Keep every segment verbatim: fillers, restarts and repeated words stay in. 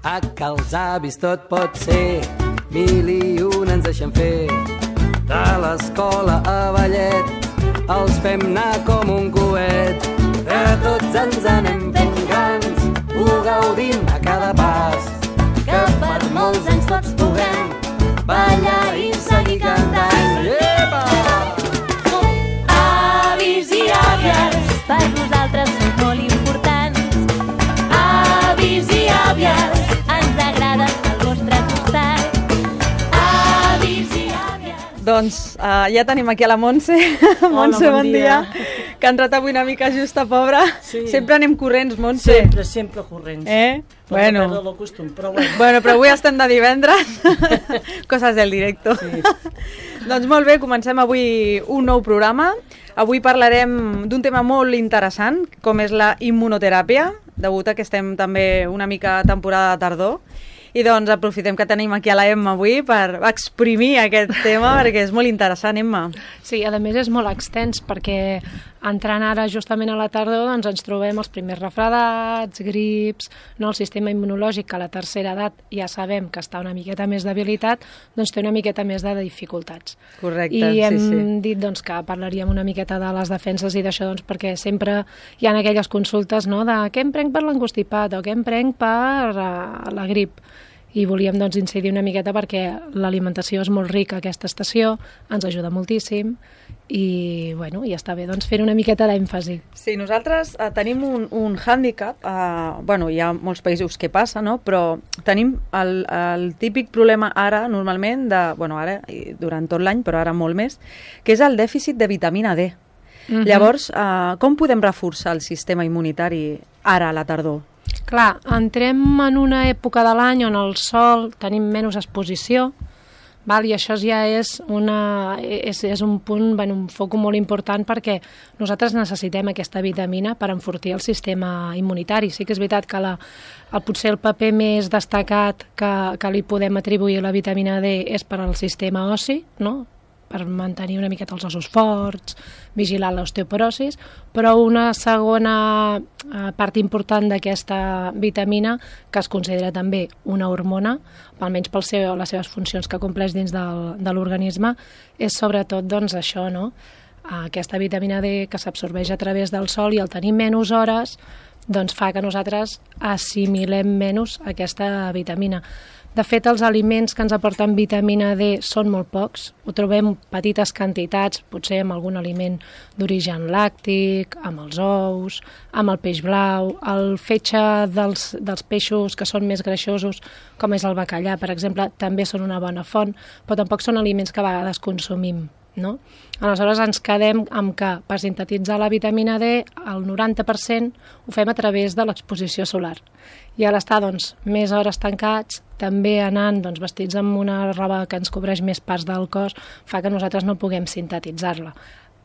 A que els avis tot pot ser, mil i un ens deixen fer. De l'escola a ballet els fem anar com un coet. Que tots ens anem fent grans, ho gaudim a cada pas. Que per molts anys tots puguem ballar i seguir cantant. Epa! Avis i àvies, per nosaltres són molt importants. Avis i àvies, ens agrada estar al vostre costat. Avis i àvies. Doncs uh, ja tenim aquí a la Montse. Montse, bon, bon dia. dia. Que ha entrat avui una mica justa, pobra. Sí. Sempre anem corrents, Montse. Sempre, sempre corrents. Eh? No bueno. No perdo el costum, però bueno. Bueno, però avui estem de divendres. Coses del directo. Sí. Doncs molt bé, comencem avui un nou programa. Avui parlarem d'un tema molt interessant, com és la immunoteràpia, degut a que estem també una mica a temporada de tardor. I doncs aprofitem que tenim aquí a la Emma avui per exprimir aquest tema, perquè és molt interessant, Emma. Sí, a més és molt extens, perquè entrant ara justament a la tardor doncs ens trobem els primers refredats, grips, no? El sistema immunològic, que a la tercera edat ja sabem que està una miqueta més debilitat, doncs té una miqueta més de dificultats. Correcte, I hem sí, sí. dit doncs, que parlaríem una miqueta de les defenses i d'això, doncs, perquè sempre hi ha aquelles consultes, no?, de què em prenc per l'encostipat o què em prenc per uh, la grip. I volíem doncs, incidir una miqueta perquè l'alimentació és molt rica aquesta estació, ens ajuda moltíssim i, bueno, i està bé doncs, fer una miqueta d'èmfasi. Sí, nosaltres eh, tenim un, un hàndicap, eh, bueno, hi ha molts països que passa, no? Però tenim el, el típic problema ara, normalment, de, bueno, ara, durant tot l'any, però ara molt més, que és el dèficit de vitamina D. Uh-huh. Llavors, eh, com podem reforçar el sistema immunitari ara a la tardor? Clar, entrem en una època de l'any on el sol tenim menys exposició, val? I això ja és, una, és, és un punt, bueno, un foc molt important, perquè nosaltres necessitem aquesta vitamina per enfortir el sistema immunitari. Sí que és veritat que la, el, potser el paper més destacat que, que li podem atribuir a la vitamina D és per al sistema ossi, no?, per mantenir una miqueta els ossos forts, vigilar l'osteoporosis, però una segona part important d'aquesta vitamina, que es considera també una hormona, almenys per seu, les seves funcions que compleix dins del, de l'organisme, és sobretot doncs, això, no? Aquesta vitamina D que s'absorbeix a través del sol, i al tenir menys hores doncs fa que nosaltres assimilem menys aquesta vitamina. De fet, els aliments que ens aporten vitamina D són molt pocs, ho trobem petites quantitats, potser amb algun aliment d'origen làctic, amb els ous, amb el peix blau, el fetge dels, dels peixos que són més greixosos, com és el bacallà, per exemple, també són una bona font, però tampoc són aliments que a vegades consumim, no? Aleshores ens quedem amb que per sintetitzar la vitamina D el noranta per cent ho fem a través de l'exposició solar. I a l'estar doncs, més hores tancats, també anant doncs, vestits amb una roba que ens cobreix més parts del cos, fa que nosaltres no puguem sintetitzar-la.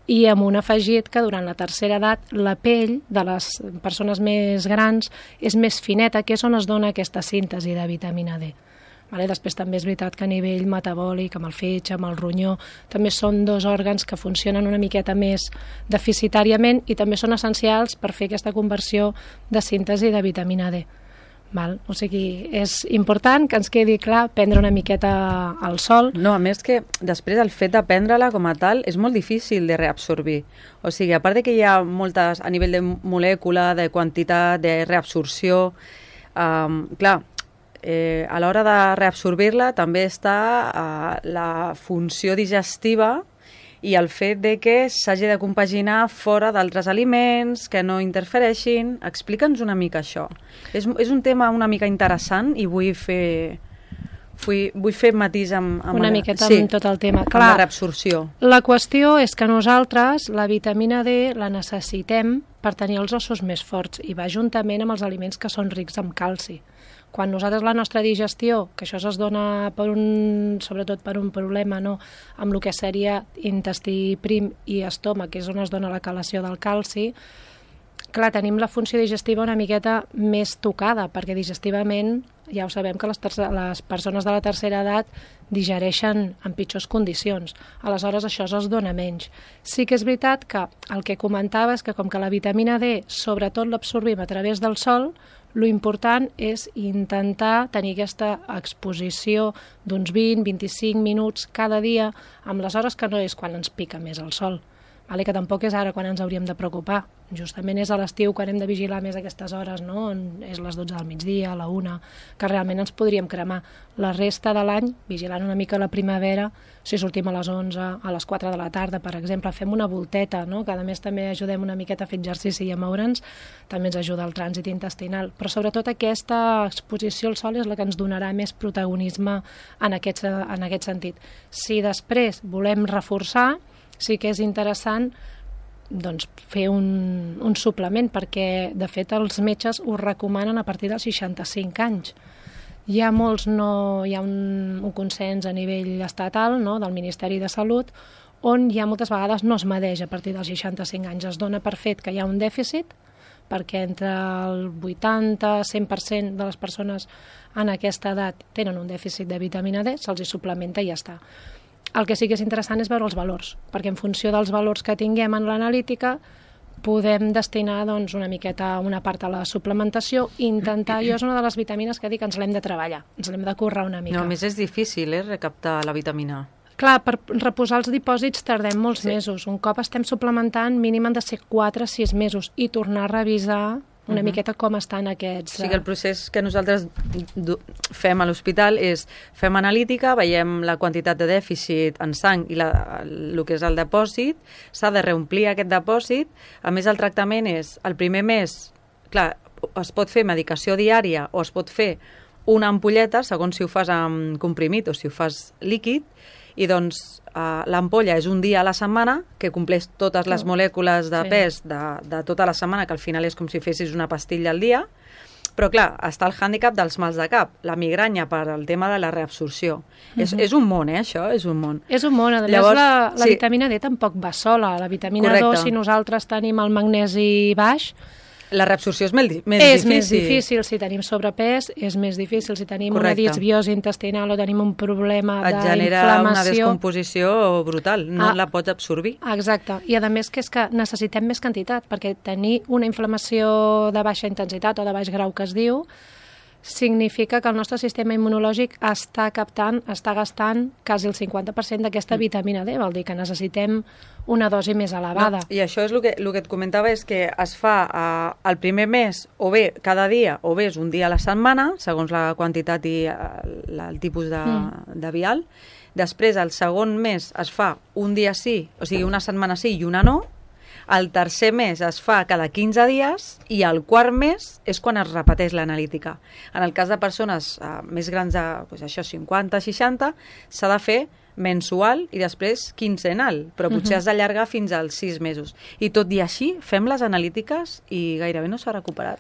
I amb un afegit que durant la tercera edat la pell de les persones més grans és més fineta, que és on es dona aquesta síntesi de vitamina D. Vale? Després també és veritat que a nivell metabòlic, amb el fetge, amb el ronyó, també són dos òrgans que funcionen una miqueta més deficitàriament i també són essencials per fer aquesta conversió de síntesi de vitamina D. Val? O sigui, és important que ens quedi clar prendre una miqueta al sol. No, a més que després el fet de prendre-la com a tal és molt difícil de reabsorbir. O sigui, a part de que hi ha moltes, a nivell de molècula, de quantitat, de reabsorció, um, clar, eh, a l'hora de reabsorbir-la també està eh, la funció digestiva i el fet de que s'hagi de compaginar fora d'altres aliments, que no interfereixin. Explica'ns una mica això. És, és un tema una mica interessant i vull fer, vull, vull fer matís amb, amb una la, miqueta sí, amb tot el tema. Clar, amb la reabsorció. La qüestió és que nosaltres la vitamina D la necessitem per tenir els ossos més forts i va juntament amb els aliments que són rics en calci. Quan nosaltres la nostra digestió, que això es dona per un, sobretot per un problema, no, amb el que seria intestí prim i estómac, que és on es dona la calació del calci, clar, tenim la funció digestiva una miqueta més tocada, perquè digestivament ja ho sabem que les, les persones de la tercera edat digereixen en pitjors condicions. Aleshores, això es dona menys. Sí que és veritat que el que comentava és que com que la vitamina D sobretot l'absorbim a través del sol, Lo important és intentar tenir aquesta exposició d'uns vint a vint-i-cinc minuts cada dia, amb les hores que no és quan ens pica més el sol, vale? Que tampoc és ara quan ens hauríem de preocupar. Justament és a l'estiu quan hem de vigilar més aquestes hores, no? On és les dotze del migdia, a la una, que realment ens podríem cremar. La resta de l'any, vigilant una mica la primavera, si sortim a les onze, a les quatre de la tarda, per exemple, fem una volteta, no? Que a més també ajudem una miqueta a fer exercici i a moure'ns, també ens ajuda el trànsit intestinal. Però sobretot aquesta exposició al sol és la que ens donarà més protagonisme en aquest, en aquest sentit. Si després volem reforçar, sí que és interessant doncs, fer un, un suplement, perquè de fet els metges ho recomanen a partir dels seixanta-cinc anys. Hi ha molts, no, hi ha un, un consens a nivell estatal, no, del Ministeri de Salut, on ja moltes vegades no es medeix a partir dels seixanta-cinc anys. Es dona per fet que hi ha un dèficit, perquè entre el vuitanta a cent per cent de les persones en aquesta edat tenen un dèficit de vitamina D, se'ls hi suplementa i ja està. El que sí que és interessant és veure els valors, perquè en funció dels valors que tinguem en l'analítica podem destinar doncs, una miqueta una part a la suplementació i intentar, jo és una de les vitamines que dic que ens l'hem de treballar, ens l'hem de currar una mica. No, a més és difícil, eh, recaptar la vitamina A. Clar, per reposar els dipòsits tardem molts Sí. mesos. Un cop estem suplementant, mínim han de ser quatre a sis mesos i tornar a revisar una Mhm. miqueta com estan aquests... O sigui, el procés que nosaltres du- fem a l'hospital és fem analítica, veiem la quantitat de dèficit en sang i la, el que és el depòsit, s'ha de reomplir aquest depòsit. A més, el tractament és, el primer mes, clar, es pot fer medicació diària o es pot fer una ampolleta, segons si ho fas amb comprimit o si ho fas líquid, i doncs uh, l'ampolla és un dia a la setmana que compleix totes les molècules de Sí. pes de, de tota la setmana, que al final és com si fessis una pastilla al dia, però clar, està el hàndicap dels mals de cap, la migranya per al tema de la reabsorció. Uh -huh. és, és un món, eh, això, és un món. És un món, a més Llavors, la, la sí. vitamina D tampoc va sola. La vitamina Correcte. dos, si nosaltres tenim el magnesi baix, La reabsorció és més, més és difícil. més difícil. Si tenim sobrepès, és més difícil. Si tenim Correcte. una disbiosi intestinal o tenim un problema Et genera una d'inflamació... descomposició brutal, no Ah. la pots absorbir. Exacte, i a més que és que necessitem més quantitat, perquè tenir una inflamació de baixa intensitat o de baix grau que es diu, significa que el nostre sistema immunològic està captant, està gastant quasi el cinquanta per cent d'aquesta vitamina D, vol dir que necessitem una dosi més elevada. No, I això és el que, el que et comentava, és que es fa eh, el primer mes, o bé cada dia, o bé és un dia a la setmana, segons la quantitat i eh, la, el tipus de, Mm. de vial. Després, el segon mes es fa un dia sí, o sigui, una setmana sí i una no. El tercer mes es fa cada quinze dies i el quart mes és quan es repeteix l'analítica. En el cas de persones eh, més grans de doncs això, cinquanta seixanta, s'ha de fer mensual i després quinzenal, però potser Mhm. has d'allargar fins als sis mesos. I tot i així, fem les analítiques i gairebé no s'ha recuperat.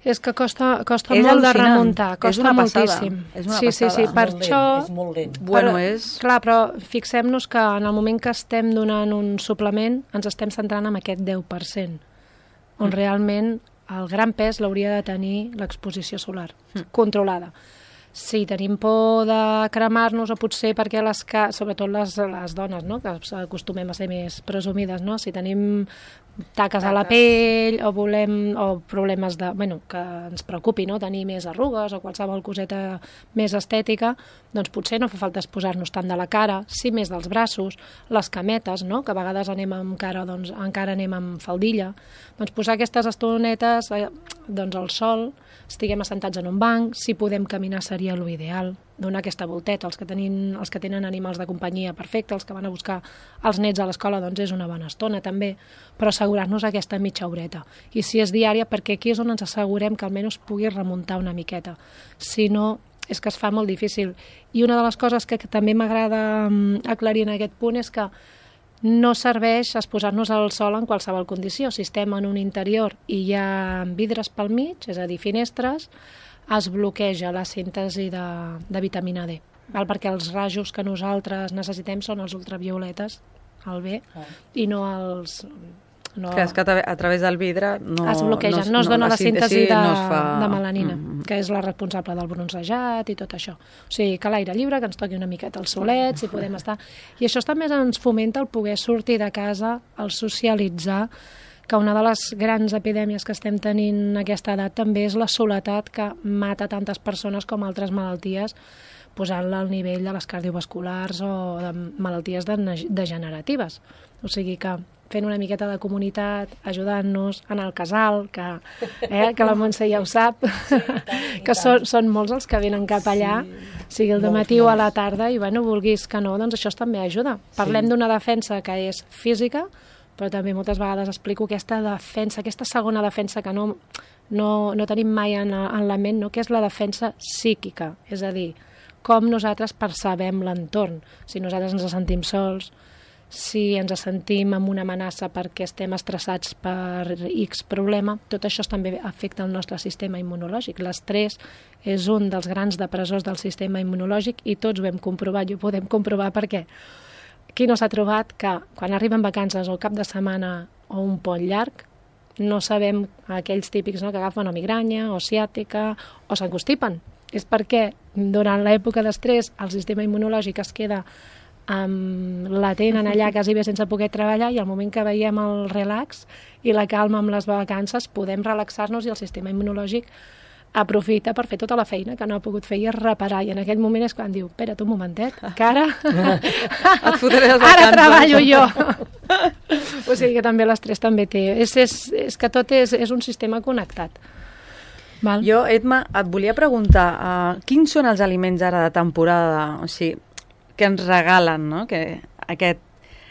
És que costa, costa És molt de al·lucinant. remuntar, És costa una passada. moltíssim. És una sí, sí, sí, passada. per Molt això... lent, és molt lent. Bueno, però, és... Clar, però fixem-nos que en el moment que estem donant un suplement ens estem centrant en aquest deu per cent, on Mm. realment el gran pes l'hauria de tenir l'exposició solar, Mm. controlada. Si tenim por de cremar-nos, o potser perquè les ca... sobretot les, les dones, no? Que acostumem a ser més presumides, no? Si tenim taques a la pell o volem o problemes de, bueno, que ens preocupi, no? Tenir més arrugues o qualsevol coseta més estètica, doncs potser no fa falta posar-nos tant de la cara, sí més dels braços, les cametes, no? Que a vegades anem amb cara, doncs encara anem amb faldilla. Doncs posar aquestes estonetes eh, doncs al sol, estiguem assentats en un banc, si podem caminar seria l'ideal, donar aquesta volteta. Els que, tenin, els que tenen animals de companyia, perfecte, els que van a buscar els nets a l'escola, doncs és una bona estona també, però assegurar-nos aquesta mitja horeta. I si és diària, perquè aquí és on ens assegurem que almenys pugui remuntar una miqueta. Si no, és que es fa molt difícil. I una de les coses que, que també m'agrada um, aclarir en aquest punt és que no serveix exposar-nos al sol en qualsevol condició. Si estem en un interior i hi ha vidres pel mig, és a dir, finestres, es bloqueja la síntesi de, de vitamina D, val? Perquè els rajos que nosaltres necessitem són els ultravioletes, el B, Ah. i no els... No, Que és que a tra- a través del vidre no, es bloqueja, no, es dona la síntesi de, no es fa... de melanina, Mm. que és la responsable del bronzejat i tot això. O sigui, que l'aire lliure, que ens toqui una miqueta el solet, si podem estar... I això també ens fomenta el poder sortir de casa, el socialitzar, que una de les grans epidèmies que estem tenint en aquesta edat també és la soledat que mata tantes persones com altres malalties, posant-la al nivell de les cardiovasculars o de malalties degeneratives. O sigui que fent una miqueta de comunitat, ajudant-nos, anar al casal, que, eh, que la Montse ja ho sap, sí, tant, que són, són molts els que venen cap allà, sí, sigui el matí o a la tarda, i bueno, vulguis que no, doncs això també ajuda. Parlem sí. d'una defensa que és física, però també moltes vegades explico aquesta defensa, aquesta segona defensa que no, no, no tenim mai en, en la ment, no? Que és la defensa psíquica, és a dir, com nosaltres percebem l'entorn, si nosaltres ens sentim sols, si ens sentim amb una amenaça perquè estem estressats per X problema, tot això també afecta el nostre sistema immunològic. L'estrès és un dels grans depressors del sistema immunològic i tots ho hem comprovat i ho podem comprovar perquè qui no s'ha trobat que quan arriben vacances o cap de setmana o un pont llarg no sabem aquells típics, no, que agafen o migranya o ciàtica o s'encostipen. És perquè durant l'època d'estrès el sistema immunològic es queda Um, la tenen allà quasi bé sense poder treballar i al moment que veiem el relax i la calma amb les vacances podem relaxar-nos i el sistema immunològic aprofita per fer tota la feina que no ha pogut fer i reparar, i en aquell moment és quan diu, espera't un momentet, que ara et fotré les vacances, ara treballo jo. O sigui que també l'estrès també té, és, és, és que tot és, és un sistema connectat. Val? Jo, Edma, et volia preguntar uh, quins són els aliments ara de temporada, o sigui, que ens regalen, no? Que aquest,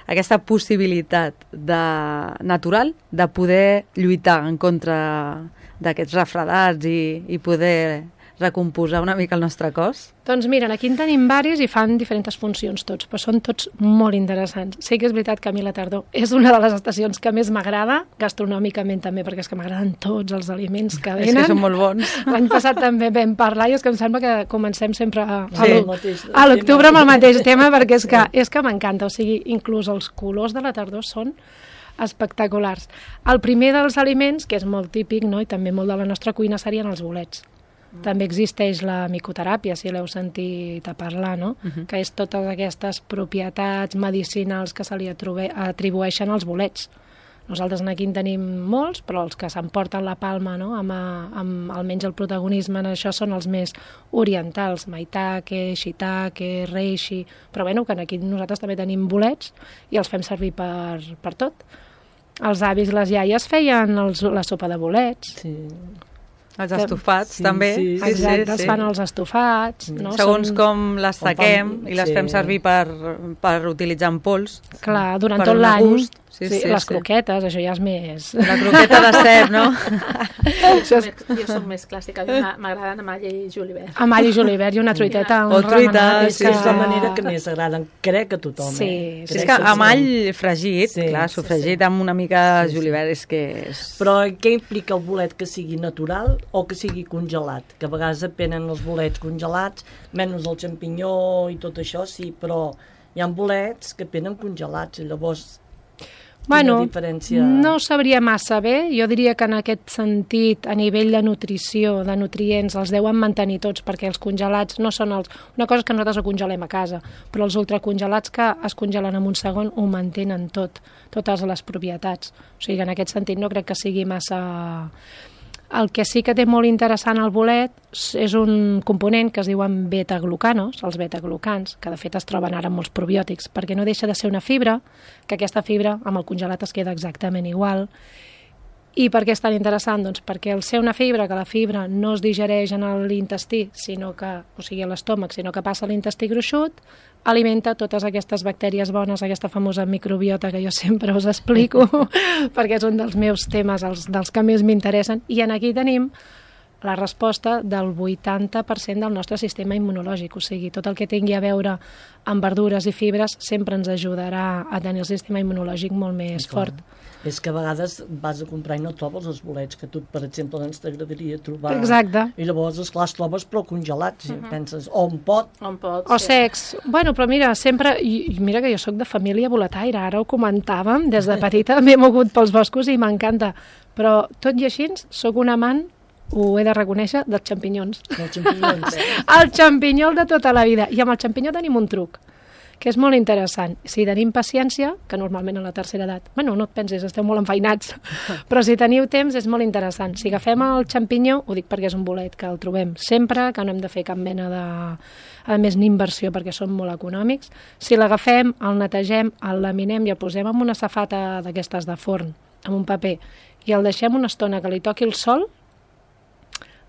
aquesta possibilitat de, natural de poder lluitar en contra d'aquests refredats i, i poder recomposar una mica el nostre cos? Doncs mira, aquí en tenim varis i fan diferents funcions tots, però són tots molt interessants. Sí que és veritat que a mi la tardor és una de les estacions que més m'agrada, gastronòmicament també, perquè és que m'agraden tots els aliments que venen. És que són molt bons. L'any passat també vam parlar i és que em sembla que comencem sempre a, sí, a l'octubre amb el mateix tema, perquè és que, és que m'encanta, o sigui, inclús els colors de la tardor són espectaculars. El primer dels aliments, que és molt típic, no?, i també molt de la nostra cuina, serien els bolets. També existeix la micoteràpia, si l'heu sentit a parlar, no? Uh-huh. Que és totes aquestes propietats medicinals que se li atribueixen als bolets. Nosaltres aquí en tenim molts, però els que s'emporten la palma, no?, amb, amb almenys el protagonisme en això són els més orientals, maitake, shiitake, reishi, però bueno, que aquí nosaltres també tenim bolets i els fem servir per, per tot. Els avis i les iaies feien els, la sopa de bolets. Sí. Els estofats, sí, també. Sí, sí, exacte, sí, sí. Els fan els estofats. No? Segons Són... com les taquem i les sí. fem servir per, per utilitzar en pols. Clar, durant tot l'any. Sí, sí, sí, les sí. croquetes, això ja és més... La croqueta de cep, no? Jo, jo soc més clàssica, m'agraden amb all i julivert. Amb all i julivert i una truiteta. O truita, sí. És la manera que més agraden, crec que a tothom. Sí, eh? sí. És que amb all fregit, sí, clar, sofregit sí, sí. amb una mica de julivert, és que... És... Però què implica el bolet, que sigui natural o que sigui congelat? Que a vegades apenen els bolets congelats, menys el xampinyó i tot això, sí, però hi ha bolets que apenen congelats, i llavors... Bueno, diferència... no sabria massa bé, jo diria que en aquest sentit, a nivell de nutrició, de nutrients, els deuen mantenir tots, perquè els congelats no són els... Una cosa és que nosaltres ho congelem a casa, però els ultracongelats que es congelen en un segon ho mantenen tot, totes les propietats. O sigui que en aquest sentit no crec que sigui massa... El que sí que té molt interessant el bolet és un component que es diuen beta-glucanos, els beta-glucans, que de fet es troben ara en molts probiòtics, perquè no deixa de ser una fibra, que aquesta fibra amb el congelat es queda exactament igual. I per què és tan interessant? Doncs perquè al ser una fibra, que la fibra no es digereix en l'intestí, sinó que, o sigui a l'estómac, sinó que passa a l'intestí gruixut, alimenta totes aquestes bactèries bones, aquesta famosa microbiota que jo sempre us explico, perquè és un dels meus temes, els, dels que més m'interessen, i en aquí tenim la resposta del vuitanta per cent del nostre sistema immunològic, o sigui, tot el que tingui a veure amb verdures i fibres sempre ens ajudarà a tenir el sistema immunològic molt més fort. És que a vegades vas a comprar i no trobes els bolets que tu, per exemple, doncs t'agradaria trobar. Exacte. I llavors, esclar, els trobes però congelats, uh -huh. penses, o un pot. O un pot, O sí. secs. Bueno, però mira, sempre... I, mira que jo sóc de família boletaire, ara ho comentàvem, des de petita m'he mogut pels boscos i m'encanta. Però tot i així, sóc un amant, ho he de reconèixer, dels xampinyons. Els xampinyons. El xampinyol de tota la vida. I amb el xampinyó tenim un truc, que és molt interessant. Si tenim paciència, que normalment a la tercera edat, bueno, no et pensis, esteu molt enfeinats, però si teniu temps és molt interessant. Si agafem el xampinyó, ho dic perquè és un bolet que el trobem sempre, que no hem de fer cap mena de... A més, ni inversió, perquè són molt econòmics. Si l'agafem, el netegem, el laminem i el posem en una safata d'aquestes de forn, amb un paper, i el deixem una estona que li toqui el sol,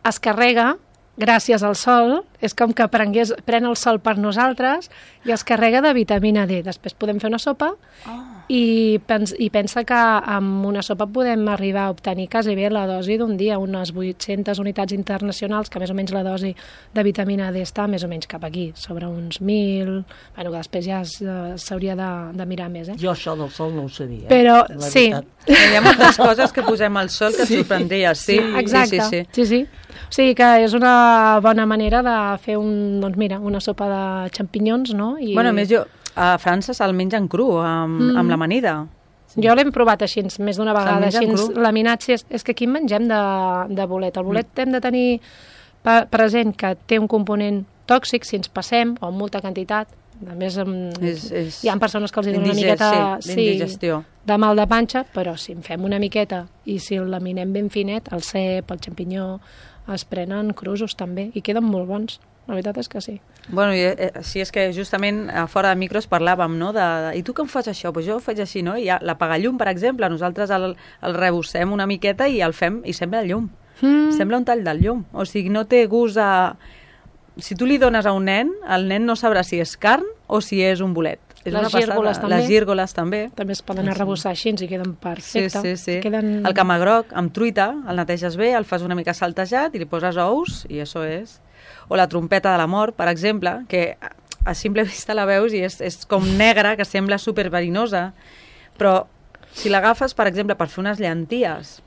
es carrega gràcies al sol, és com que prengués, pren el sol per nosaltres i es carrega de vitamina D. Després podem fer una sopa oh. i, pens, i pensa que amb una sopa podem arribar a obtenir quasi bé la dosi d'un dia, unes vuit-centes unitats internacionals, que més o menys la dosi de vitamina D està més o menys cap aquí, sobre uns mil, bueno, que després ja s'hauria de, de mirar més. Eh? Jo això del sol no ho sabia. Eh? Però sí. Hi ha moltes coses que posem al sol que sí. et sorprendria, sí. sí. Exacte, sí, sí, sí. sí, sí. O sigui que és una bona manera de fer un, doncs mira, una sopa de xampinyons, no? I... Bueno, a més jo, a França se'l mengen cru, amb, mm. amb l'amanida. Sí. Jo l'hem provat així, més d'una vegada, així, laminat, sí, és, és que aquí en mengem de, de bolet. El bolet mm. hem de tenir present que té un component tòxic si ens passem, o en molta quantitat. A més, és, és hi ha persones que els donen una miqueta sí, sí, de mal de panxa, però si en fem una miqueta i si el laminem ben finet, el cep, el xampinyó, es prenen crusos també i queden molt bons. La veritat és que sí. Bueno, i, eh, sí, és que justament a fora de micros parlàvem, no?, de, de i tu com fas això? Pues jo ho faig així, no? I la pagallum, per exemple, nosaltres el, el rebossem una miqueta i el fem i sembla llum. Mm. Sembla un tall del llum. O sigui, no té gust a... Si tu li dones a un nen, el nen no sabrà si és carn o si és un bolet. És les gírgoles també. Les gírgoles també. També es poden arrebossar així i queden perfectes. Sí, sí, sí. Queden... El camagroc amb truita, el neteges bé, el fas una mica saltejat i li poses ous i això és. O la trompeta de la mort, per exemple, que a simple vista la veus i és, és com negra, que sembla superverinosa, però si l'agafes, per exemple, per fer unes llenties...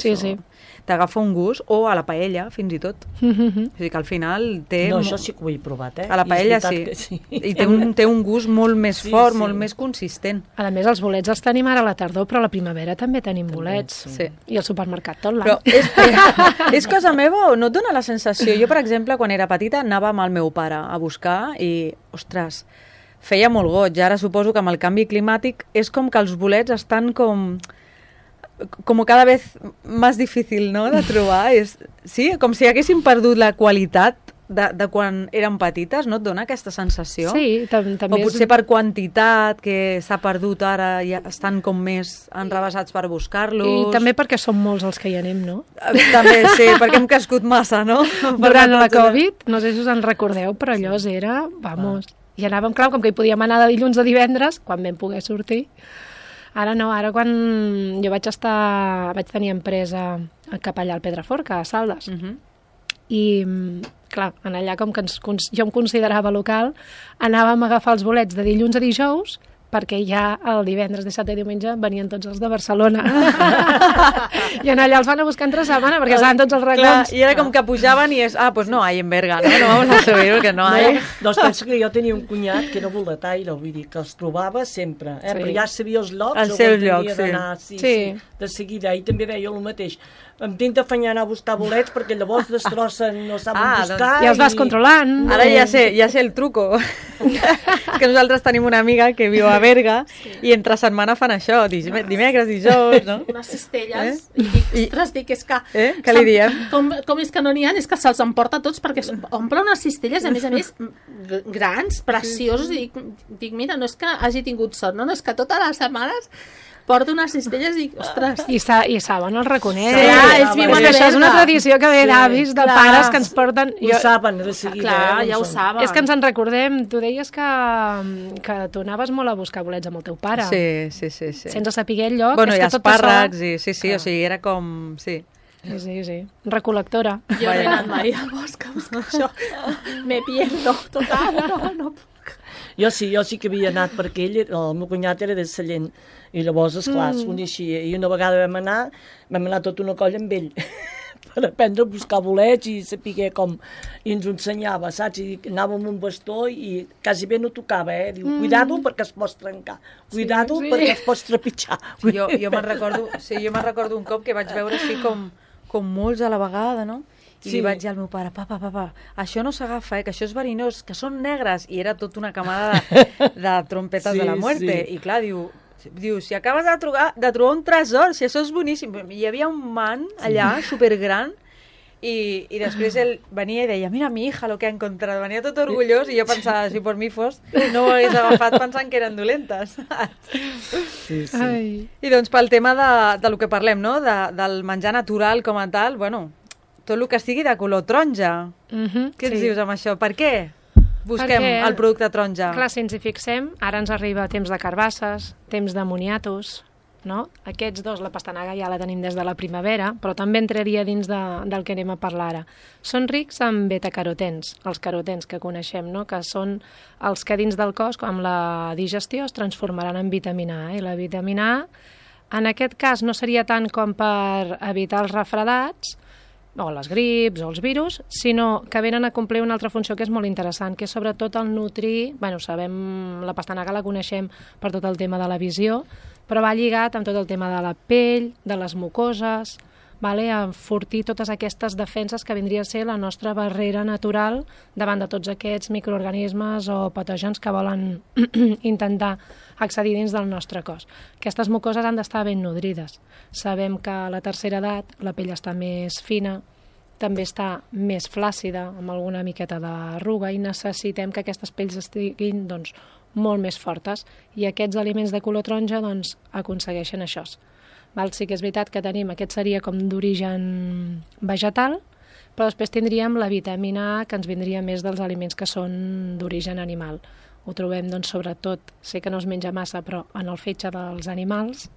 Sí, sí. T'agafa un gust, o a la paella, fins i tot. Mm-hmm. O sigui que al final té... No, això sí que ho he provat, eh? A la paella sí. sí. I té un, té un gust molt més sí, fort, sí. molt més consistent. A més, els bolets els tenim ara a la tardor, però a la primavera també tenim també, bolets. Sí. I al supermercat tot l'any. Però és, és cosa meva o no et dona la sensació? Jo, per exemple, quan era petita, anava amb el meu pare a buscar i, ostres, feia molt goig. Ara suposo que amb el canvi climàtic és com que els bolets estan com... com cada vez més difícil, no?, de trobar. És, sí, com si haguessin perdut la qualitat de, de quan eren petites, no et dona aquesta sensació? Sí, tam també o potser és... per quantitat, que s'ha perdut ara i estan com més enrevessats per buscar-los. I també perquè som molts els que hi anem, no? També, sí, perquè hem crescut massa, no? Durant la Covid, no sé si us en recordeu, però allò era, vamos, i anàvem, clar, com que hi podíem anar de dilluns a divendres, quan vam poder sortir. Ara no, ara quan jo vaig estar, vaig tenir empresa cap allà al Pedraforca, a Saldes, uh-huh. i clar, en allà com que ens, jo em considerava local, anàvem a agafar els bolets de dilluns a dijous, perquè ja el divendres, dissabte i diumenge venien tots els de Barcelona. I en allà els van a buscar entre setmana, perquè estaven tots els racons. Clar, i era com que pujaven i és, ah, pues no hay en Berga, no, no vamos a subir, perquè no hay. No, doncs penso que jo tenia un cunyat que era boletaire, vull dir, que els trobava sempre, eh? Sí. Però ja sabia els llocs, el seu lloc, sí. Sí, sí. sí. De seguida, i també veia el mateix. Em tinc d'afanyar anar a buscar bolets perquè llavors destrossen, no saben ah, buscar. Doncs, i els vas controlant. Ara ja sé, ja sé el truco. Que nosaltres tenim una amiga que viu a Berga sí. i entre setmana fan això, dimecres, dijous, no? Unes cistelles. Eh? I dic, ostres, dic, és que... Eh? Què li diem? Com, com és que no n'hi ha? És que se'ls emporta tots perquè omple unes cistelles, a més a més, grans, preciosos, i dic, dic, mira, no és que hagi tingut sort, no, no és que totes les setmanes porta unes cistelles i, ostres... I, sa i saben el reconeix. Sí, clar, ells viuen a això és una tradició que ve sí, d'avis, de clar. Pares que ens porten... Ho jo... saben, de seguida. Clar, eh, ja ho saben. És que ens en recordem. Tu deies que, que tu anaves molt a buscar bolets amb el teu pare. Sí, sí, sí. sí. Sense saber el lloc. Bueno, és i que espàrrecs, això... i sí, sí, clar. O sigui, era com... Sí. Sí, sí, sí. Recol·lectora. Jo no he anat mai al bosc a buscar això. Me pierdo, total, no, no puc. Jo sí, jo sí que havia anat, perquè ell, el meu cunyat era de Sallent, i llavors, esclar, mm. es coneixia. I una vegada vam anar, vam anar tota una colla amb ell, per aprendre a buscar bolets i saber com... I ens ho ensenyava, saps? I anàvem amb un bastó i quasi bé no tocava, eh? Diu, cuidado mm. perquè es pots trencar, cuidado sí, sí. perquè es pots trepitjar. Sí, jo jo me'n recordo, sí, jo me'n recordo un cop que vaig veure així com, com molts a la vegada, no? I Sí. li vaig dir al meu pare, papa, papa, això no s'agafa, eh, que això és verinós, que són negres. I era tota una camada de, de trompetes Sí, de la muerte. sí. I clar, diu, diu, si acabes de trobar, de trobar un tresor, si això és boníssim. Hi havia un man allà, supergran, i, i després ell venia i deia, mira mi hija lo que ha encontrado. Venia tot orgullós i jo pensava, si per mi fos, no ho hagués agafat pensant que eren dolentes. Sí, sí. Ai. I doncs pel tema de, de lo que parlem, no? De, del menjar natural com a tal, bueno, tot el que sigui de color taronja. Mhm, Què ens sí. dius amb això? Per què busquem Perquè, el producte taronja? Clar, si ens hi fixem, ara ens arriba temps de carbasses, temps de moniatos, no? Aquests dos, la pastanaga ja la tenim des de la primavera, però també entraria dins de, del que anem a parlar ara. Són rics en betacarotens, els carotens que coneixem, no? Que són els que dins del cos, amb la digestió, es transformaran en vitamina A. I la vitamina A, en aquest cas, no seria tant com per evitar els refredats, o les grips o els virus, sinó que venen a complir una altra funció que és molt interessant, que és sobretot el nutrir, bueno, sabem, la pastanaga la coneixem per tot el tema de la visió, però va lligat amb tot el tema de la pell, de les mucoses, vale? A enfortir totes aquestes defenses que vindria a ser la nostra barrera natural davant de tots aquests microorganismes o patògens que volen intentar accedir dins del nostre cos. Aquestes mucoses han d'estar ben nodrides. Sabem que a la tercera edat la pell està més fina, també està més flàcida, amb alguna miqueta d'arruga, i necessitem que aquestes pells estiguin doncs, molt més fortes, i aquests aliments de color taronja doncs, aconsegueixen això. Val? Sí que és veritat que tenim, aquest seria com d'origen vegetal, però després tindríem la vitamina A, que ens vindria més dels aliments que són d'origen animal. Ho trobem, doncs, sobretot, sé que no es menja massa, però en el fetge dels animals.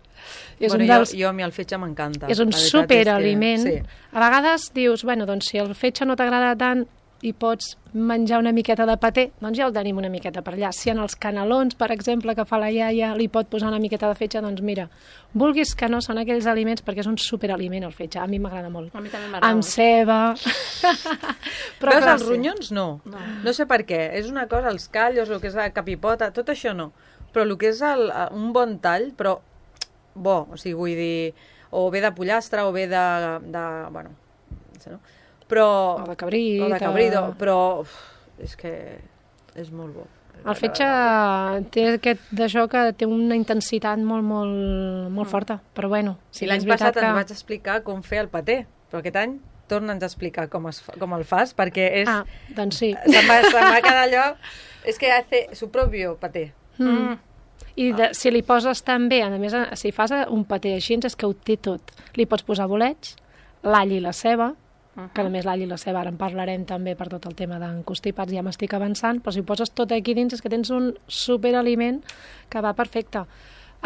És bueno, un dels... jo, jo a mi el fetge m'encanta. És un La veritat és que- superaliment. Sí. A vegades dius, bueno, doncs si el fetge no t'agrada tant i pots menjar una miqueta de paté, doncs ja el tenim una miqueta per allà. Si en els canelons, per exemple, que fa la iaia, li pot posar una miqueta de fetge, doncs mira, vulguis que no, són aquells aliments, perquè és un superaliment el fetge, a mi m'agrada molt. A mi també m'agrada Amb molt. ceba... Veus, clar, els sí. ronyons no. no. No sé per què. És una cosa, els callos, el que és la capipota, tot això no. Però el que és el, un bon tall, però bo, o sigui, vull dir, o bé de pollastre, o bé de... de bueno, no sé, no? Però... O de cabrit. O de cabrit, o- però uf, és que és molt bo. El fetge té aquest d'això que té una intensitat molt, molt, molt forta, però bueno, Sí, sí, l'any és veritat passat que... ens vaig explicar com fer el paté, però aquest any torna'ns a explicar com, es fa, com el fas, perquè és... Ah, doncs sí. Se'n va, se'n va quedar allò... És que hace su propio paté. Mm. I de, si li poses també, a més, si fas un paté així, és que ho té tot. Li pots posar bolets, l'all i la ceba, que a més l'all i la ceba ara en parlarem també per tot el tema d'encostipats, ja m'estic avançant, però si ho poses tot aquí dins és que tens un superaliment que va perfecte.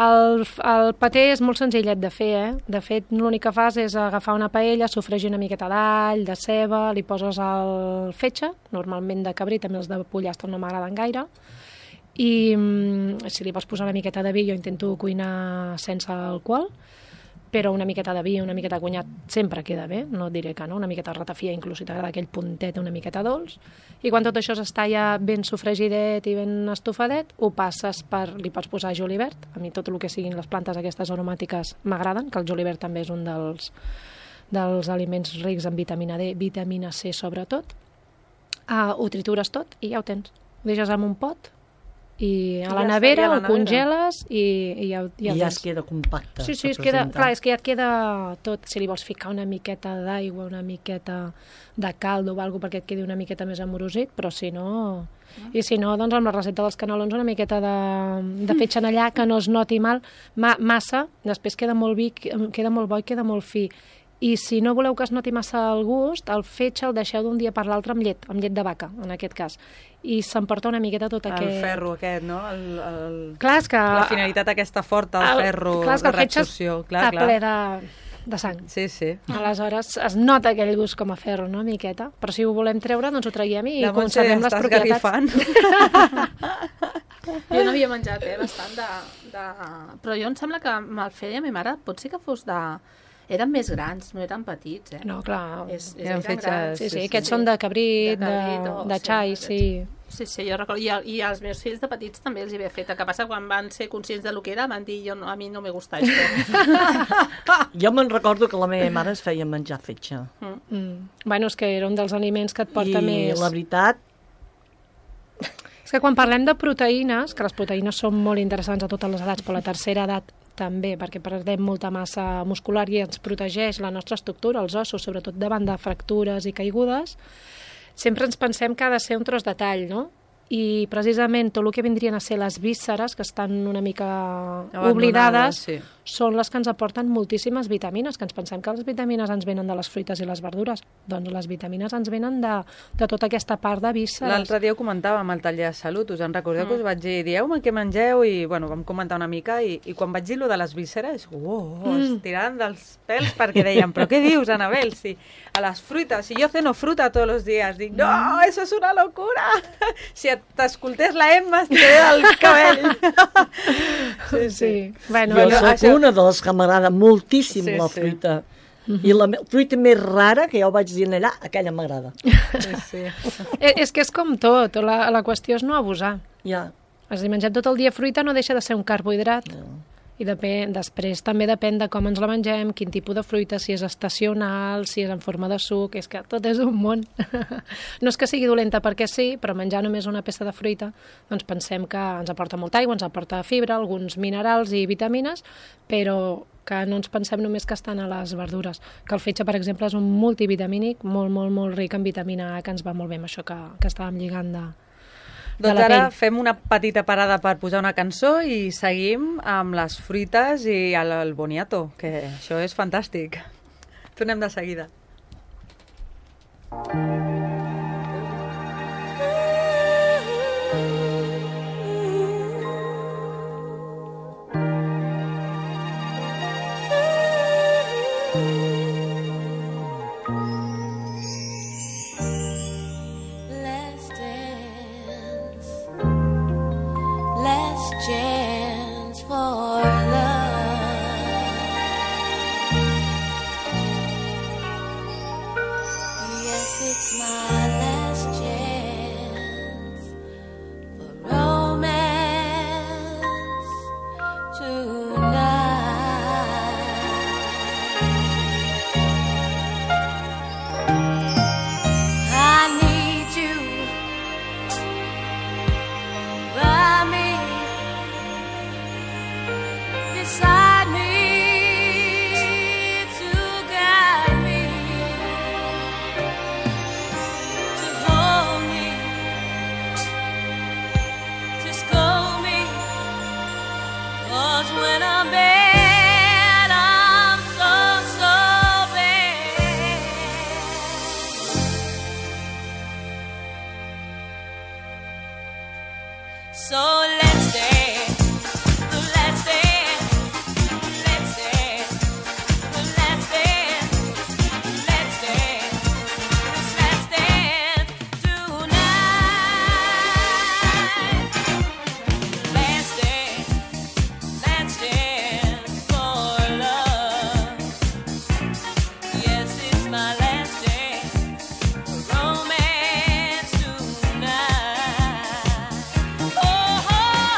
El, el paté és molt senzillet de fer, eh? De fet, l'únic que fas és agafar una paella, sofregir una miqueta d'all, de ceba, li poses el fetge, normalment de cabrit, també els de pollastre no m'agraden gaire, i mm, si li vols posar una miqueta de vi, jo intento cuinar sense alcohol, però una miqueta de vi, una miqueta de cunyat sempre queda bé, no et diré que no, una miqueta de ratafia, inclús si t'agrada aquell puntet una miqueta dolç, i quan tot això està ja ben sofregidet i ben estofadet, ho passes per, li pots posar julivert, a mi tot el que siguin les plantes aquestes aromàtiques m'agraden, que el julivert també és un dels, dels aliments rics en vitamina D, vitamina C sobretot, uh, ho tritures tot i ja ho tens, ho deixes en un pot, i a I la ja nevera estaria a la ho nevera. congeles i, i ja, ho- ja I ho ja tens. es queda compacte. Sí, sí, per es queda, presentar. clar, és que ja et queda tot. Si li vols ficar una miqueta d'aigua, una miqueta de caldo o alguna perquè et quedi una miqueta més amorosit, però si no... I si no, doncs amb la recepta dels canelons una miqueta de, de fetge en allà que no es noti mal, ma, massa, després queda molt vi, queda molt bo i queda molt fi. I si no voleu que es noti massa el gust, el fetge el deixeu d'un dia per l'altre amb llet, amb llet de vaca, en aquest cas. I s'emporta una miqueta tot El aquest... ferro aquest, no? El, el... Clar, és que... La finalitat aquesta forta, el, ferro, clar, és que de el fetge reabsorció. Clar, està clar. ple de, de sang. Sí, sí. Aleshores es nota aquell gust com a ferro, no, miqueta? Però si ho volem treure, doncs ho traiem i La Montse conservem les està propietats. esgarrifant. Jo no havia menjat, eh, bastant de, de... Però jo em sembla que me'l feia mi mare, pot ser que fos de... Eren més grans, no eren petits, eh? No, clar. És, és, Eren eren fetges, grans. Sí, sí, sí, aquests sí. són de cabrit, De de, cabrit o- de sí, xai, de- sí. Sí, sí, jo recordo. I, a- I als meus fills de petits també els hi havia fet. El que passa, quan van ser conscients de lo que era, van dir, jo no, a mi no me gusta això. Jo me'n recordo que la meva mare es feia menjar fetge. Mm. Bueno, és que era un dels aliments que et porta I més... la veritat, És que quan parlem de proteïnes, que les proteïnes són molt interessants a totes les edats, però a la tercera edat també, perquè perdem molta massa muscular i ens protegeix la nostra estructura, els ossos, sobretot davant de fractures i caigudes, sempre ens pensem que ha de ser un tros de tall, no? I precisament tot el que vindrien a ser les vísceres, que estan una mica Abandonades, oblidades, sí. són les que ens aporten moltíssimes vitamines, que ens pensem que les vitamines ens venen de les fruites i les verdures. Doncs les vitamines ens venen de, de tota aquesta part de vísceres. L'altre dia ho comentàvem al taller de salut, us en recordeu que us vaig dir, dieu-me què mengeu, i bueno, vam comentar una mica, i, i quan vaig dir lo de les vísceres, oh, oh, Mm. estirant dels pèls, perquè deien, però què dius, Anabel, si a les fruites, si yo ceno fruta todos los días, dic, no, eso es una locura, si t'escoltés la Emma, estaria el cabell. Sí, sí. Bueno, jo Bueno, soc això- una de les que m'agrada moltíssim Sí, la sí. fruita. I la me- fruita més rara que jo vaig dir allà, aquella m'agrada. Sí, sí. Eh, és que és com tot, la, la qüestió és no abusar. Ja. És a dir, menjar tot el dia fruita no deixa de ser un carbohidrat. I depèn, després també depèn de com ens la mengem, quin tipus de fruita, si és estacional, si és en forma de suc, és que tot és un món. No és que sigui dolenta perquè sí, però menjar només una peça de fruita, doncs pensem que ens aporta molta aigua, ens aporta fibra, alguns minerals i vitamines, però que no ens pensem només que estan a les verdures. Que el fetge, per exemple, és un multivitamínic molt, molt, molt ric en vitamina A, que ens va molt bé amb això que, que estàvem lligant de, de Doncs la ara pell. fem una petita parada per posar una cançó i seguim amb les fruites i el, el boniato, que això és fantàstic. Tornem de seguida. Let's dance. Let's chance for love. Yes, it's my last chance for romance tonight. I need you by me, beside me, to guide me, to hold me, to scold me. 'Cause when I'm bad, I'm so, so bad. So let's dance, let's dance, let's dance, let's dance, let's dance, let's dance tonight. Let's dance, let's dance for love. Yes, it's my last dance for romance tonight. Oh, oh,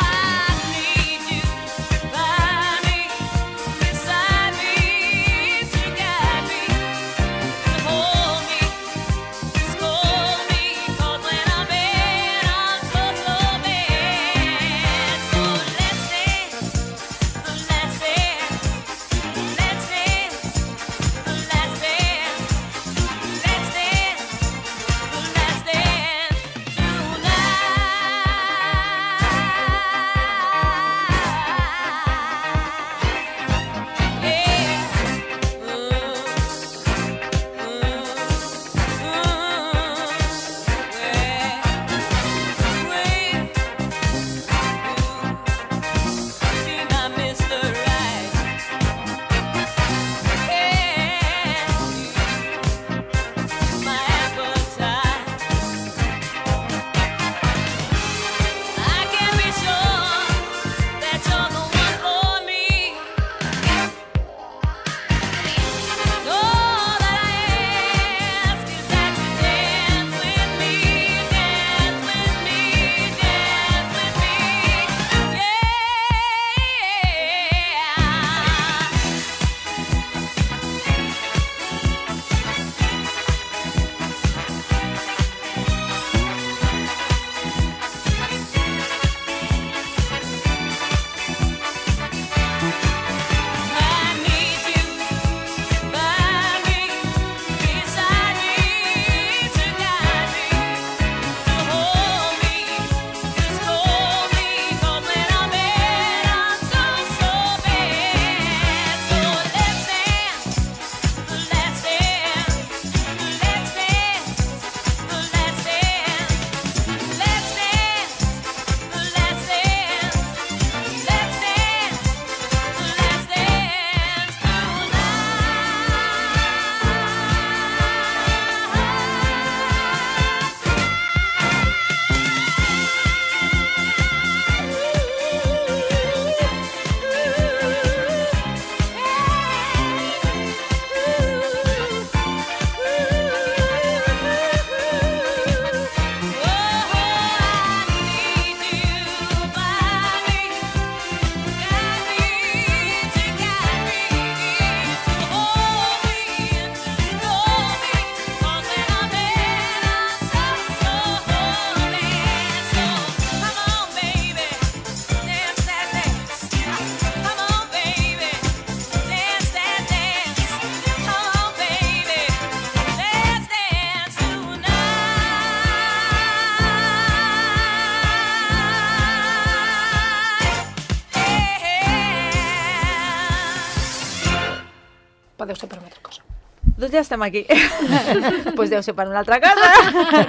deu ser per una altra cosa. Doncs ja estem aquí. Doncs pues deu ser per una altra cosa.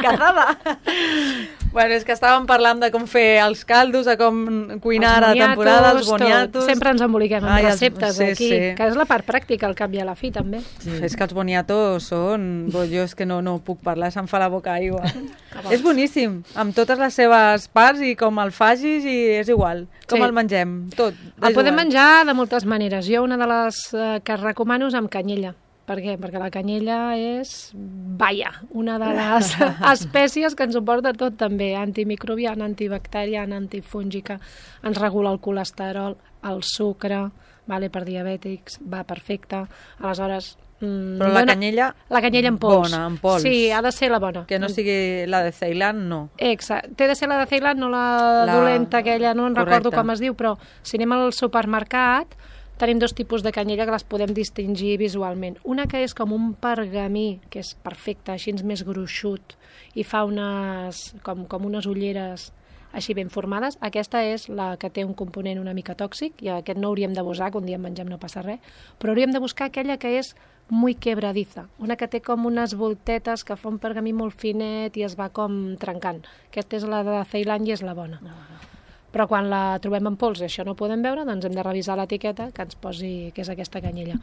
Casada. Bueno, és que estàvem parlant de com fer els caldos, de com cuinar a temporada, els boniatos... Tot. Sempre ens emboliquem amb Ai, receptes sí, aquí, sí. que és la part pràctica, al cap i a la fi, també. Sí. És que els boniatos són... Bo, jo és que no, no puc parlar, se'm fa la boca aigua. És boníssim, amb totes les seves parts i com el facis i és igual. Com Sí. el mengem, tot. El podem menjar de moltes maneres. Jo una de les eh, que recomano és amb canyella. Per què? Perquè la canyella és, vaja, una de les espècies que ens suporta tot també, antimicrobiana, antibacteriana, antifúngica, ens regula el colesterol, el sucre, vale, per diabètics, va perfecte. Aleshores... Mm, Però la dona... canyella... La canyella en pols. Bona, en pols. Sí, ha de ser la bona. Que no sigui la de Ceilan, no. Exacte. Té de ser la de Ceilan, no la, La- dolenta aquella, no en Correcte. recordo com es diu, però si anem al supermercat tenim dos tipus de canyella que les podem distingir visualment. Una que és com un pergamí, que és perfecte, així més gruixut, i fa unes, com, com unes ulleres així ben formades. Aquesta és la que té un component una mica tòxic, i aquest no hauríem de buscar, que un dia en mengem no passa res, però hauríem de buscar aquella que és muy quebradiza, una que té com unes voltetes que fa un pergamí molt finet i es va com trencant. Aquesta és la de Ceilan i és la bona. No, no. Però quan la trobem en pols i això no podem veure, doncs hem de revisar l'etiqueta que ens posi que és aquesta canyella.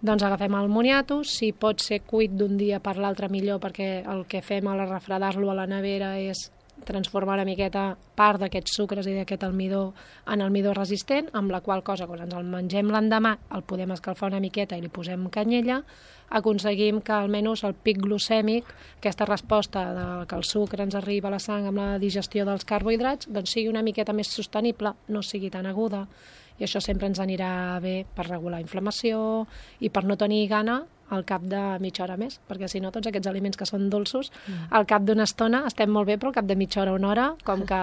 Doncs agafem el moniato, si pot ser cuit d'un dia per l'altre millor, perquè el que fem a la refredar-lo a la nevera és transformar una miqueta part d'aquests sucres i d'aquest almidó en almidó resistent, amb la qual cosa, quan ens el mengem l'endemà, el podem escalfar una miqueta i li posem canyella, aconseguim que almenys el pic glucèmic, aquesta resposta de que el sucre ens arriba a la sang amb la digestió dels carbohidrats, doncs sigui una miqueta més sostenible, no sigui tan aguda, i això sempre ens anirà bé per regular inflamació i per no tenir gana al cap de mitja hora més, perquè si no tots aquests aliments que són dolços, mm. al cap d'una estona estem molt bé, però al cap de mitja hora o una hora, com que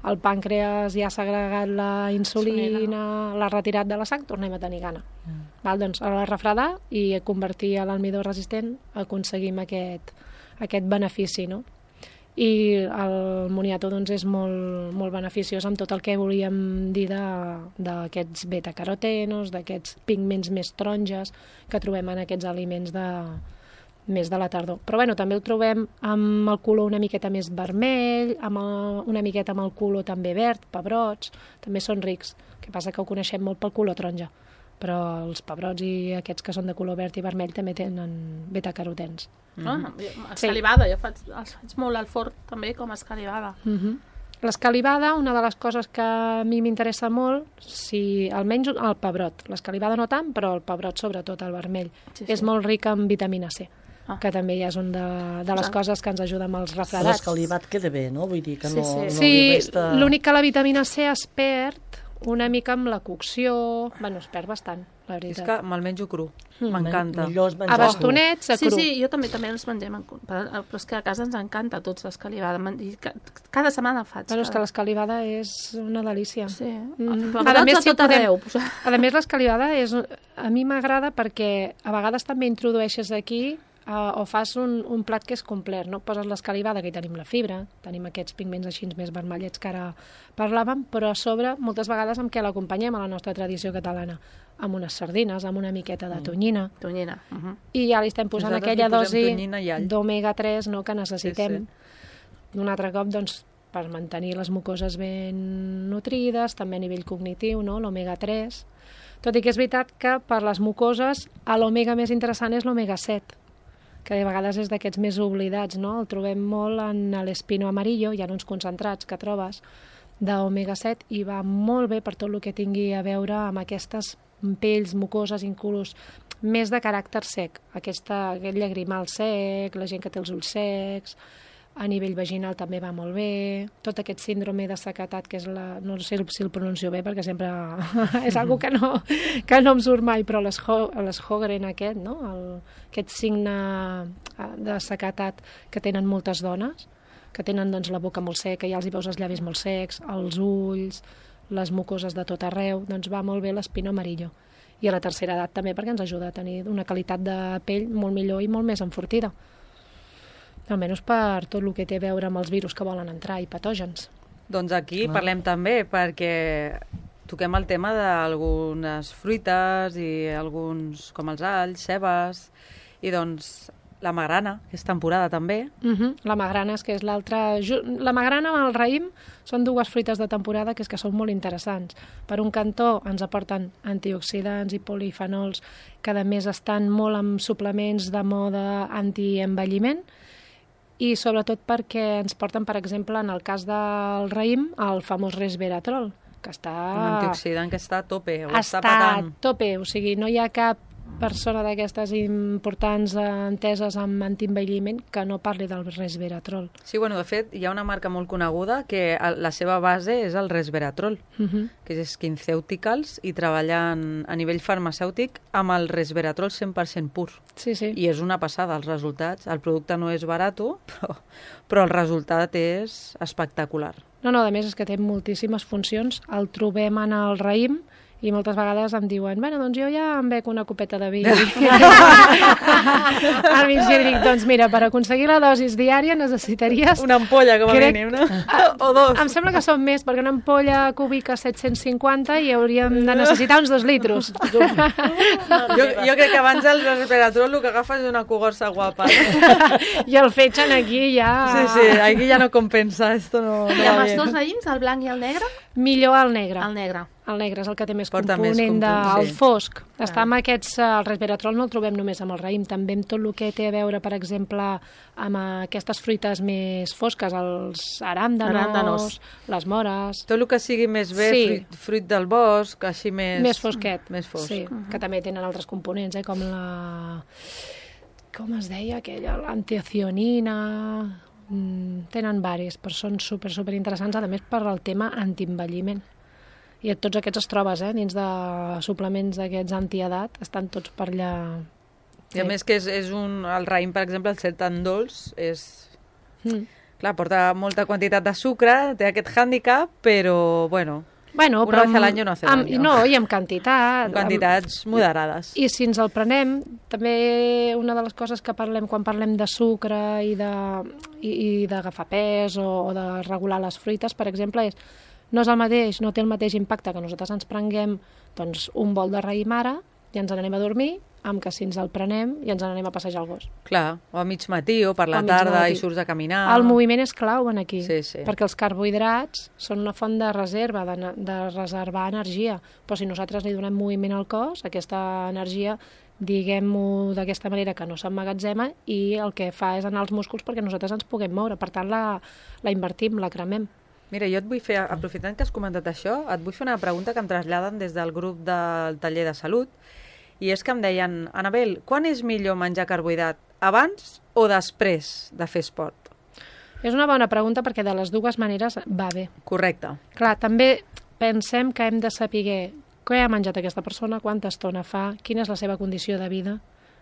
el pàncreas ja s'ha agregat la insulina, l'ha retirat de la sang, tornem a tenir gana. Mm. Val, doncs a la refredar i convertir a l'almidó resistent aconseguim aquest, aquest benefici, no? I el moniato doncs, és molt, molt beneficiós amb tot el que volíem dir d'aquests beta-carotenos, d'aquests pigments més taronges que trobem en aquests aliments de, més de la tardor. Però bueno, també el trobem amb el color una miqueta més vermell, amb el, una miqueta amb el color també verd, pebrots, també són rics. El que passa que ho coneixem molt pel color taronja, però els pebrots i aquests que són de color verd i vermell també tenen beta-carotens. Ah, escalivada, jo faig, els faig molt al forn també com a escalivada. Uh-huh. L'escalivada, una de les coses que a mi m'interessa molt, si almenys el pebrot, l'escalivada no tant, però el pebrot sobretot, el vermell, sí, sí. és molt ric en vitamina C, ah. que també ja és una de, de les ah. coses que ens ajuda amb els refredats. L'escalivat queda bé, no? Vull dir que sí, no, sí. no sí, li resta... l'únic que la vitamina C es perd una mica amb la cocció, bueno, es perd bastant, la veritat. És que me'l menjo cru, m'encanta. Mm. A bastonets, a sí, cru. Sí, jo també també els mengem en cru, però és que a casa ens encanta a tots l'escalivada, i cada setmana faig. Bueno, és que l'escalivada és una delícia. Sí, mm. a, a més, si tot podem... arreu. A més, l'escalivada és... a mi m'agrada perquè a vegades també introdueixes aquí Uh, o fas un, un plat que és complet, no? Poses l'escalivada, que hi tenim la fibra, tenim aquests pigments així més vermellets que ara parlàvem, però a sobre, moltes vegades, amb què l'acompanyem a la nostra tradició catalana? Amb unes sardines, amb una miqueta de tonyina. Mm. Tonyina. Uh -huh. I ja li estem posant Nosaltres aquella dosi d'omega tres, no?, que necessitem. Sí, sí. Un altre cop, doncs, per mantenir les mucoses ben nutrides, també a nivell cognitiu, no?, l'omega tres. Tot i que és veritat que per les mucoses l'omega més interessant és l'omega set, que de vegades és d'aquests més oblidats, no? El trobem molt en l'espino amarillo, hi ha uns concentrats que trobes d'omega set i va molt bé per tot el que tingui a veure amb aquestes pells mucoses, inclús més de caràcter sec, aquesta, aquest llagrimal sec, la gent que té els ulls secs, a nivell vaginal també va molt bé, tot aquest síndrome de sequetat, que és la... no sé si el pronuncio bé, perquè sempre és algo que no, que no em surt mai, però l'Sjögren aquest, no? El, aquest signe de sequetat que tenen moltes dones, que tenen doncs, la boca molt seca, ja els hi veus els llavis molt secs, els ulls, les mucoses de tot arreu, doncs va molt bé l'espino amarillo. I a la tercera edat també, perquè ens ajuda a tenir una qualitat de pell molt millor i molt més enfortida. Almenys per tot el que té a veure amb els virus que volen entrar i patògens. Doncs aquí ah. parlem també, perquè toquem el tema d'algunes fruites i alguns, com els alls, cebes, i doncs la magrana, que és temporada també. Uh -huh. La magrana, és que és l'altra... La magrana amb el raïm són dues fruites de temporada que és que són molt interessants. Per un cantó ens aporten antioxidants i polifenols que a més estan molt amb suplements de moda antienvelliment, i sobretot perquè ens porten, per exemple, en el cas del raïm, el famós resveratrol, que està... Un antioxidant que està a tope, o està està patant. a tope, o sigui, no hi ha cap persona d'aquestes importants enteses amb antienvelliment que no parli del resveratrol. Sí, bueno, de fet, hi ha una marca molt coneguda que la seva base és el resveratrol, uh -huh. que és SkinCeuticals, i treballen a nivell farmacèutic amb el resveratrol cent per cent pur. Sí, sí. I és una passada, els resultats. El producte no és barat, però, però el resultat és espectacular. No, no, a més és que té moltíssimes funcions. El trobem en el raïm, i moltes vegades em diuen, bueno, doncs jo ja em bec una copeta de vi. Al mig dic, doncs mira, per aconseguir la dosis diària necessitaries... Una ampolla, com a crec... mínim, no? O dos. Em sembla que són més, perquè una ampolla cúbica set-cents cinquanta i hauríem de necessitar uns dos litros. jo, jo crec que abans el resveratrol el que agafa és una cogorça guapa. I el fetgen aquí ja... Sí, sí, aquí ja no compensa, esto no, no I amb va els bien. dos raïms, el blanc i el negre? Millor el negre. El negre. El negre és el que té més Porta component més de... component, el sí. fosc. Està amb aquests... El resveratrol no el trobem només amb el raïm, també amb tot el que té a veure, per exemple, amb aquestes fruites més fosques, els aràndanos, Aràndanos. les mores... Tot el que sigui més bé, Sí. fruit, fruit del bosc, així més... Més fosquet. Més fosc. Sí, que també tenen altres components, eh, com la... Com es deia aquella? L'antiocionina... Mm, tenen varis, però són super, super interessants, a més per al tema antienvelliment. I tots aquests els trobes, eh, dins de suplements d'aquests antiedat, estan tots per allà. I a més que és, és un... El raïm, per exemple, el ser tan dolç, és... Mm. Clar, porta molta quantitat de sucre, té aquest hàndicap, però, bueno... Bueno, Una però vez al año no hace amb, daño. No, i amb quantitat. En quantitats amb, moderades. I si ens el prenem, també una de les coses que parlem quan parlem de sucre i de i, i d'agafar pes o, o de regular les fruites, per exemple, és no és el mateix, no té el mateix impacte que nosaltres ens prenguem doncs, un bol de raïm ara i ens n'anem a dormir, amb que si ens el prenem i ens n'anem a passejar el gos. Clar, o a mig matí o per la A mig tarda matí. i surts a caminar. El moviment és clau en aquí, Sí, sí. perquè els carbohidrats són una font de reserva, de, de reservar energia, però si nosaltres li donem moviment al cos, aquesta energia, diguem-ho d'aquesta manera, que no s'emmagatzema, i el que fa és anar als músculs perquè nosaltres ens puguem moure, per tant la, la invertim, la cremem. Mira, jo et vull fer, aprofitant que has comentat això, et vull fer una pregunta que em traslladen des del grup del taller de salut, i és que em deien, Anabel, quan és millor menjar carbohidrat? Abans o després de fer esport? És una bona pregunta perquè de les dues maneres va bé. Correcte. Clar, també pensem que hem de saber què ha menjat aquesta persona, quanta estona fa, quina és la seva condició de vida,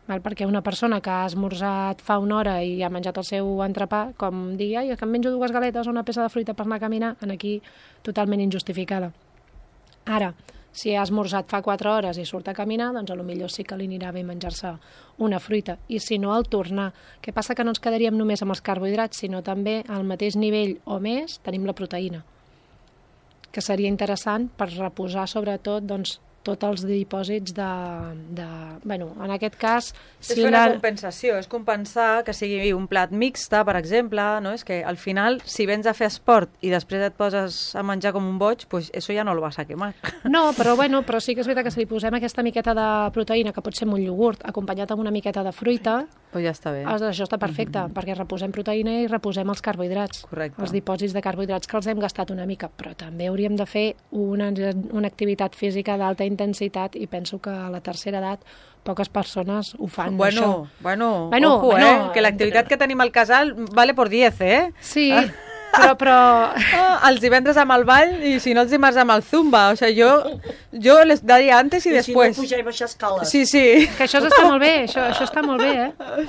val? Perquè una persona que ha esmorzat fa una hora i ha menjat el seu entrepà, com digui, ai, que em menjo dues galetes o una peça de fruita per anar a caminar, en aquí totalment injustificada. Ara, si ha esmorzat fa quatre hores i surt a caminar, doncs potser sí que li anirà bé menjar-se una fruita. I si no, al tornar. Què passa? Que no ens quedaríem només amb els carbohidrats, sinó també al mateix nivell o més tenim la proteïna, que seria interessant per reposar sobretot doncs, tots els dipòsits de, de... Bueno, en aquest cas... És fer una compensació, és compensar que sigui un plat mixta, per exemple, no? És que al final, si vens a fer esport i després et poses a menjar com un boig, pues eso ja no lo vas a quemar. No, però, bueno, però sí que és veritat que si li posem aquesta miqueta de proteïna, que pot ser un iogurt, acompanyat amb una miqueta de fruita, pues ja està bé. això està perfecte, mm-hmm. perquè reposem proteïna i reposem els carbohidrats, Correcte. Els dipòsits de carbohidrats que els hem gastat una mica, però també hauríem de fer una, una activitat física d'alta intensitat i penso que a la tercera edat poques persones ho fan, bueno, això. Bueno, Bueno, ojo, bueno, eh? Que l'activitat que tenim al casal vale por diez, eh? Sí, però... però... Ah, els divendres amb el ball i si no els dimarts amb el zumba. O sea, yo, yo les daría antes y, I después. si no pujar i baixar escales. Sí, sí. Que això està molt bé, això, això està molt bé, eh?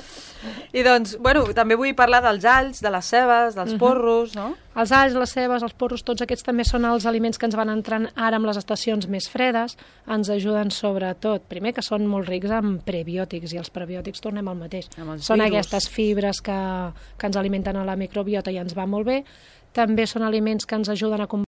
I doncs, bueno, també vull parlar dels alls, de les cebes, dels porros, no? Els alls, les cebes, els porros, tots aquests també són els aliments que ens van entrant ara amb les estacions més fredes. Ens ajuden sobretot, primer que són molt rics en prebiòtics, i els prebiòtics tornem al mateix. Són virus. aquestes fibres que, que ens alimenten a la microbiota i ens va molt bé. També són aliments que ens ajuden a